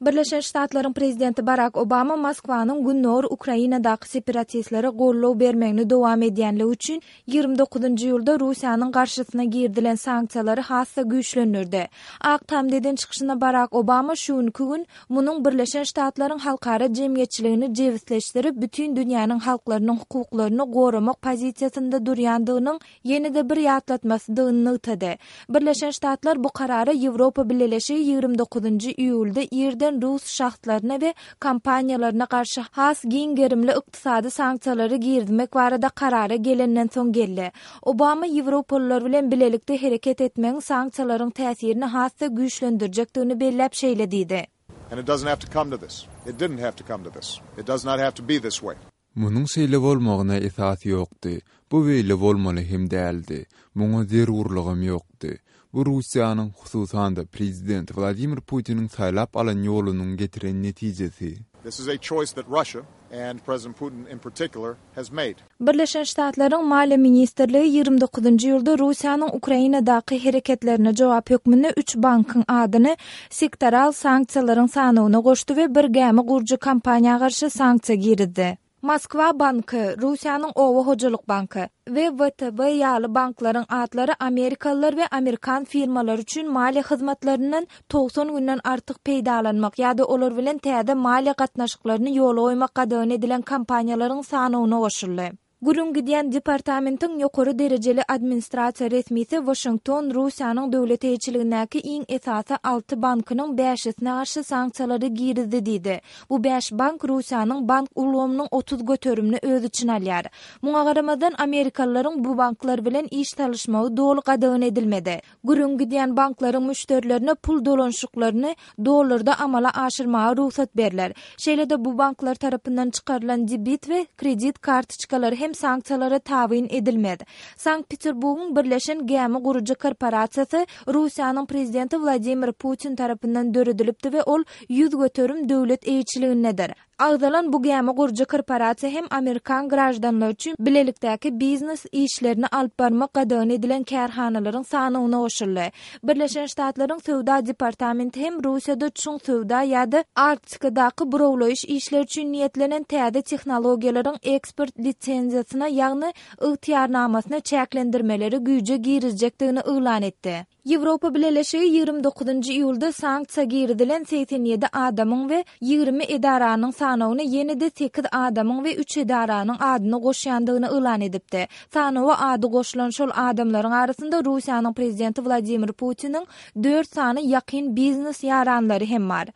Birleşen Ştatlaryň prezidenti Barak Obama Moskwanyň gündogar Ukrainadaky separatistlere goldaw bermegini dowam edýänligi üçin 29-njy iýulda Russiýanyň garşysyna girizilen sanksiýalary has-da güýçlendirdi. Ak Tamda eden çykyşynda Barak Obama şu günki gün munuň Birleşen Ştatlaryň halkara jemgyýetçiligini jebisleşdirip, bütin dünýäniň halklarynyň hukuklaryny goramak pozisiýasynda durýandygynyň ýene-de bir ýatlatmasydygyny nygtady. Birleşen Ştatlar bu karara Ýewropa Bileleşigi 29-njy iýulda irden rus şahslaryna we kompaniýalaryna garşy has giň gerimli ykdysady sanksiýalary girizmek barada karara gelenden soň geldi. Obama ýewropalylar bilen bilelikde hereket etmegiň sanksiýalaryň täsirini has-da güýçlendirjekdigini belläp şeýle diýdi. And it doesn't have to come to this. It didn't have to come to this. It does not have to be this way. Munuň şeýle bolmagyna esas ýokdy. Bu beýle bolmaly hem däldi. Muňa zerurlygam ýokdy. Bu Russiýanyň, hususan-da, prezident Wladimir Putiniň saýlap alan ýolunyň getiren netijesi. This is a choice that Russia, and President Putin in particular, has made. Birleşen Ştatlaryň Maliýe ministrligi 29-njy iýulda Russiýanyň Ukrainadaky hereketlerine jogap hökmünde üç bankyň adyny sektoral sanksiýalaryň sanawyna goşdy we bir gämi gurujy kompaniýa garşy sanksiýa girizdi. Moskwa banky, Russiýanyň Oba hojalyk banky we WTB ýaly banklaryň atlary amerikalylar we amerikan firmalary üçin maliýe hyzmatlaryndan 90 günden artyk peýdalanmak ýa-da olar bilen täze maliýe gatnaşyklaryny ýola goýmak gadagan edilen kompaniýalaryň sanawyna goşuldy. Gürrüň gidýän departamentiň ýokary derejeli administrasiýa resmisi Waşington Russiýanyň döwlet eýeçiligindäki iň esasy alty bankynyň bäşisine garşy sanksiýalary girizdi diýdi. Bu bäş bank Russiýanyň bank ulgamynyň 30 göterimini öz içine alýar. Muňa garamazdan, amerikalylaryň bu banklar bilen iş salyşmagy doly gadagan edilmedi. Gürrüň gidýän banklaryň müşderilerine pul dolanyşyklaryny dollarda amala aşyrmaga rugsat berler. Şeýle-de bu banklar tarapyndan çykarylan debit we kredit kartoçkalary hem sanksiýalara tabyn edilmez. Sankt-Peterburgyň Birleşen gämi gurujy korporasiýasy Russiýanyň prezidenti Wladimir Putin tarapyndan döredilipdi we ol 100% döwlet eýeçiligindedir. Agzalan bu gämi gurujy korporasiýa hem amerikan graždanlary üçin bilelikdäki biznes işlerini alyp barmak gadagan edilen kärhanalaryň sanawyna goşuldy. Birleşen Ştatlaryň Söwda departamenti hem Russiýada çuň söwda ýa-da Arktikadaky burawlaýyş işleri üçin niýetlenen täze tehnologiýalaryň eksport lisenziýasyna, ýagny ygtyýarnamasyna çäklendirmeleri güýje girizjekdigini yglan etdi. Ýewropa Bileleşigi 29-njy iýulda sanksiýa girizilen 87 adamyň we 20 edaranyň sanawyna ýene-de sekiz adamyň we üç edaranyň adyny goşýandygyny yglan edipdi. Sanawa ady goşulan şol adamlaryň arasynda Russiýanyň prezidenti Wladimir Putiniň dört sany ýakyn biznes ýaranlary hem bar.